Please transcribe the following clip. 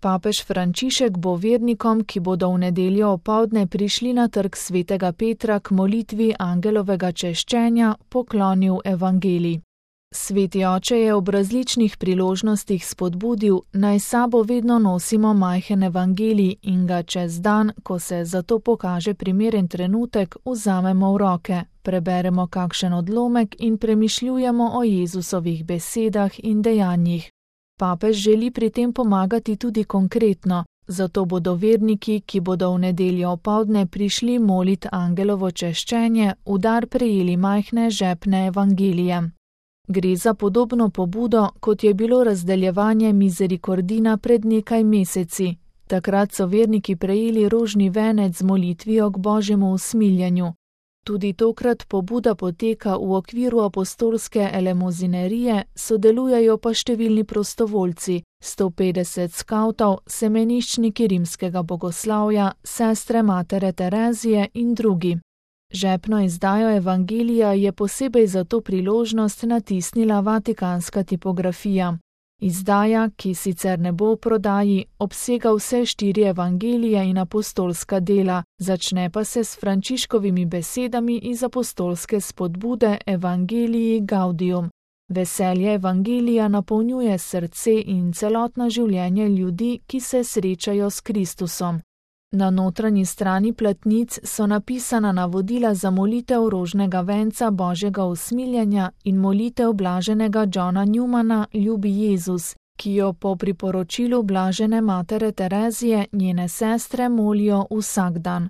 Papež Frančišek bo vernikom, ki bodo v nedeljo opoldne prišli na trg svetega Petra k molitvi angelovega češčenja, poklonil evangelij. Sveti oče je ob različnih priložnostih spodbudil, naj sabo vedno nosimo majhen evangelij in ga čez dan, ko se za to pokaže primeren trenutek, vzamemo v roke, preberemo kakšen odlomek in premišljujemo o Jezusovih besedah in dejanjih. Papež želi pri tem pomagati tudi konkretno, zato bodo verniki, ki bodo v nedeljo opoldne prišli molit angelovo češčenje, v dar prejeli majhne žepne evangelije. Gre za podobno pobudo, kot je bilo razdeljevanje mizerikordina pred nekaj meseci. Takrat so verniki prejeli rožni venec z molitvijo k Božjemu usmiljenju. Tudi tokrat pobuda poteka v okviru apostolske elemozinerije, sodelujejo pa številni prostovoljci, 150 skavtov, semeniščniki rimskega bogoslavja, sestre Matere Terezije in drugi. Žepno izdajo evangelija je posebej za to priložnost natisnila vatikanska tipografija. Izdaja, ki sicer ne bo v prodaji, obsega vse 4 evangelije in apostolska dela, začne pa se s Frančiškovimi besedami iz apostolske spodbude Evangelii Gaudium. Veselje evangelija napolnjuje srce in celotno življenje ljudi, ki se srečajo s Kristusom. Na notranji strani platnic so napisana navodila za molitev rožnega venca Božjega usmiljenja in molitev blaženega Johna Newmana Ljubi Jezus, ki jo po priporočilu blažene Matere Terezije njene sestre molijo vsak dan.